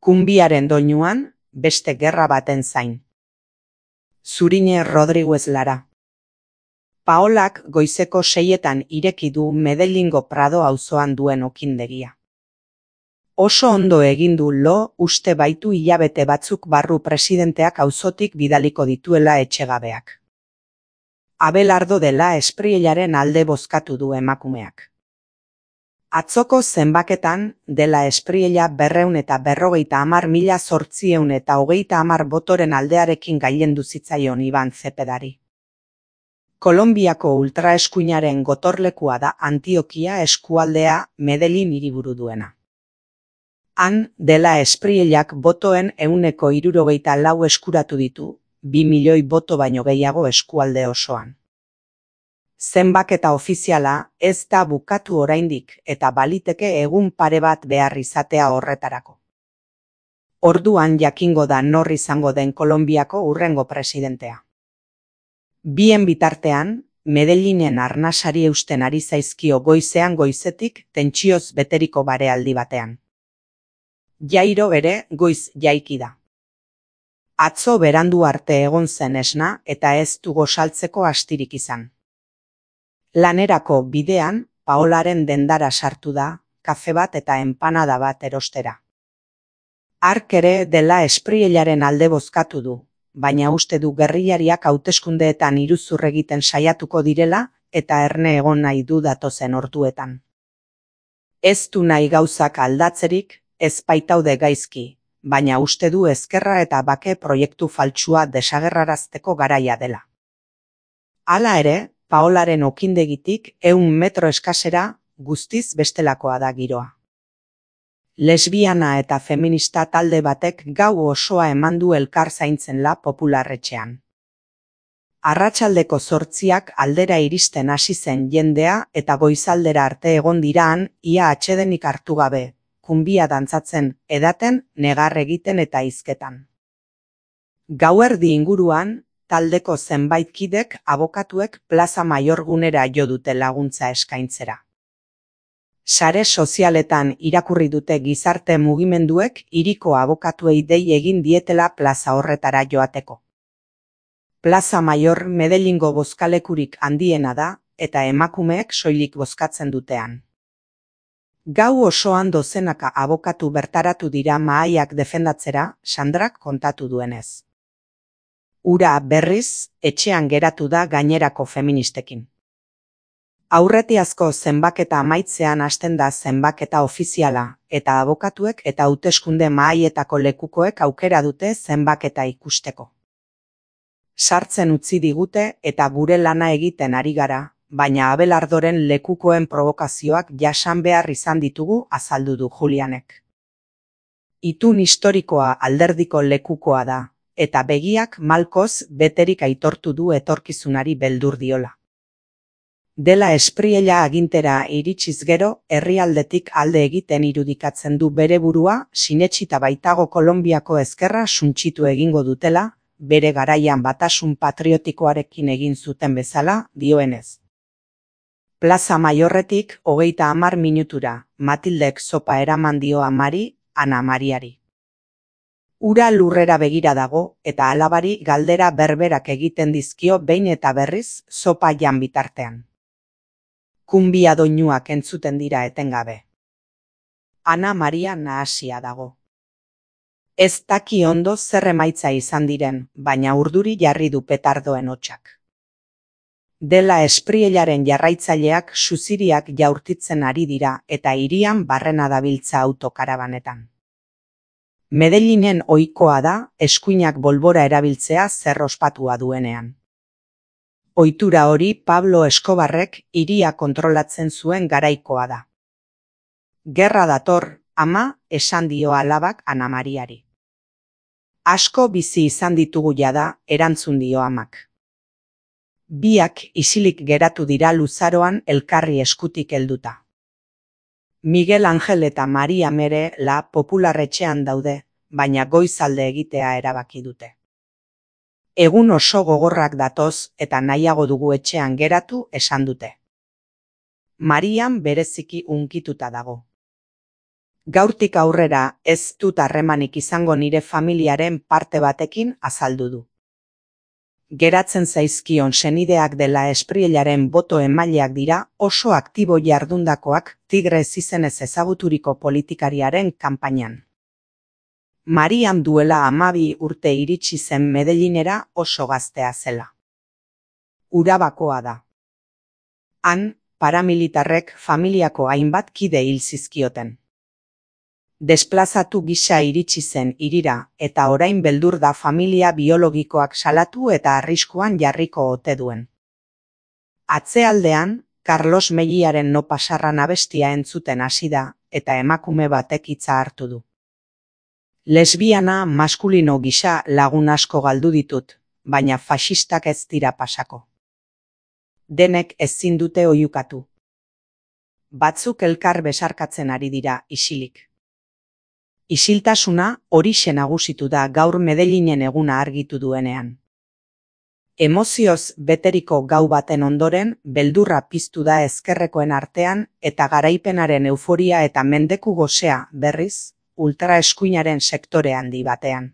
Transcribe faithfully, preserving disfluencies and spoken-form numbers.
Kunbiaren doinuan, beste gerra baten zain. Zurine Rodriguez Lara. Paolak goizeko seietan ireki du Medellingo Prado auzoan duen okindegia. Oso ondo egin du lo uste baitu hilabete batzuk barru presidenteak auzotik bidaliko dituela etxegabeak. Abelardo dela Espriellaren alde bozkatu du emakumeak. Atzoko zenbaketan dela Espriella berreun eta berrogeita hamar mila zortzieun eta hogeita hamar botoren aldearekin gailendu zitzaion Iban Zepedari. Kolonbiako ultraeskuinaren gotorlekua da Antiokia eskualdea Medellin hiriburu duena. Han, dela Espriellak botoen ehuneko hirurogeita lau eskuratu ditu, bi milioi boto baino gehiago eskualde osoan. Zenbaketa ofiziala ez da bukatu oraindik eta baliteke egun pare bat behar izatea horretarako. Orduan jakingo da nor izango den Kolonbiako hurrengo presidentea. Bien bitartean, Medellinen arnasari eusten ari zaizkio goizean goizetik tentsioz beteriko barealdi batean. Jairo ere goiz jaiki da. Atzo berandu arte egon zen esna eta ez du gosaltzeko astirik izan. Lanerako bidean, Paolaren dendara sartu da, kafe bat eta enpanada bat erostera. Hark ere dela Espriellaren alde bozkatu du, baina uste du gerrillariak hauteskundeetan iruzur egiten saiatuko direla eta erne egon nahi du datozen orduetan. Ez du nahi gauzak aldatzerik, ez baitaude gaizki, baina uste du ezkerra eta bake proiektu faltsua desagerrarazteko garaia dela. Hala ere, Paolaren okindegitik ehun metro eskasera guztiz bestelakoa da giroa. Lesbiana eta feminista talde batek gau osoa eman du elkar zaintzen la popularretxean. Arratsaldeko zortziak aldera iristen hasi zen jendea eta goizaldera arte egon diraan ia atsedenik hartu gabe, kunbia dantzatzen, edaten, negar egiten eta hizketan. Gauerdi inguruan, taldeko zenbait kidek abokatuek Plaza Mayor gunera jo dute laguntza eskaintzera. Sare sozialetan irakurri dute gizarte mugimenduek hiriko abokatuei dei egin dietela plaza horretara joateko. Plaza Mayor Medellingo bozkalekurik handiena da eta emakumeek soilik bozkatzen dutean. Gau osoan dozenaka abokatu bertaratu dira mahaiak defendatzera, Sandrak kontatu duenez. Ura berriz, etxean geratu da gainerako feministekin. Aurretiazko zenbaketa amaitzean hasten da zenbaketa ofiziala, eta abokatuek eta hauteskunde mahaietako lekukoek aukera dute zenbaketa ikusteko. Sartzen utzi digute eta gure lana egiten ari gara, baina Abelardoren lekukoen provokazioak jasan behar izan ditugu azaldu du Julianek. Itun historikoa alderdiko lekukoa da, eta begiak malkoz beterik aitortu du etorkizunari beldur diola. Dela Espriella agintera iritsiz gero, herrialdetik alde egiten irudikatzen du bere burua, sinetsita baitago Kolonbiako ezkerra suntsitu egingo dutela, bere garaian batasun patriotikoarekin egin zuten bezala, dioenez. Plaza Mayorretik hogeita hamar minutura, Matildek zopa eraman dio amari, Ana Mariari. Ura lurrera begira dago, eta alabari galdera berberak egiten dizkio behin eta berriz zopa jan bitartean. Kunbia doinuak entzuten dira etengabe. Ana Maria nahasia dago. Ez daki ondo zer emaitza izan diren, baina urduri jarri du petardoen hotsak. Dela Espriellaren jarraitzaileak suziriak jaurtitzen ari dira eta hirian barrena dabiltza autokarabanetan. Medellinen ohikoa da eskuinak bolbora erabiltzea zer ospatua duenean. Ohitura hori Pablo Escobarrek hiria kontrolatzen zuen garaikoa da. Gerra dator, ama, esan dio alabak Ana Mariari. Asko bizi izan ditugu jada, erantzun dio amak. Biak isilik geratu dira luzaroan elkarri eskutik helduta. Miguel Angel eta Maria Mere la popularretxean daude, baina goizalde egitea erabaki dute. Egun oso gogorrak datoz eta nahiago dugu etxean geratu esan dute. Marian bereziki hunkituta dago. Gaurtik aurrera ez dut harremanik izango nire familiaren parte batekin azaldu du. Geratzen zaizkion senideak dela Espriellaren boto emaileak dira oso aktibo jardundakoak Tigre izenez ezaguturiko politikariaren kanpainan. Marian duela hamabi urte iritsi zen Medellinera oso gaztea zela. Urabakoa da. Han, paramilitarrek familiako hainbat kide hil zizkioten. Desplazatu gisa iritsi zen hirira eta orain beldur da familia biologikoak salatu eta arriskuan jarriko ote duen. Atzealdean, Carlos Melliaren No pasarran abestia entzuten hasi da eta emakume batek hitza hartu du. Lesbiana maskulino gisa lagun asko galdu ditut, baina faxistak ez dira pasako. Denek ezin dute oihukatu. Batzuk elkar besarkatzen ari dira isilik. Isiltasuna horixe nagusitu da gaur Medellinen eguna argitu duenean. Emozioz beteriko gau baten ondoren, beldurra piztu da ezkerrekoen artean eta garaipenaren euforia eta mendeku gosea, berriz, ultraeskuinaren sektore handi batean.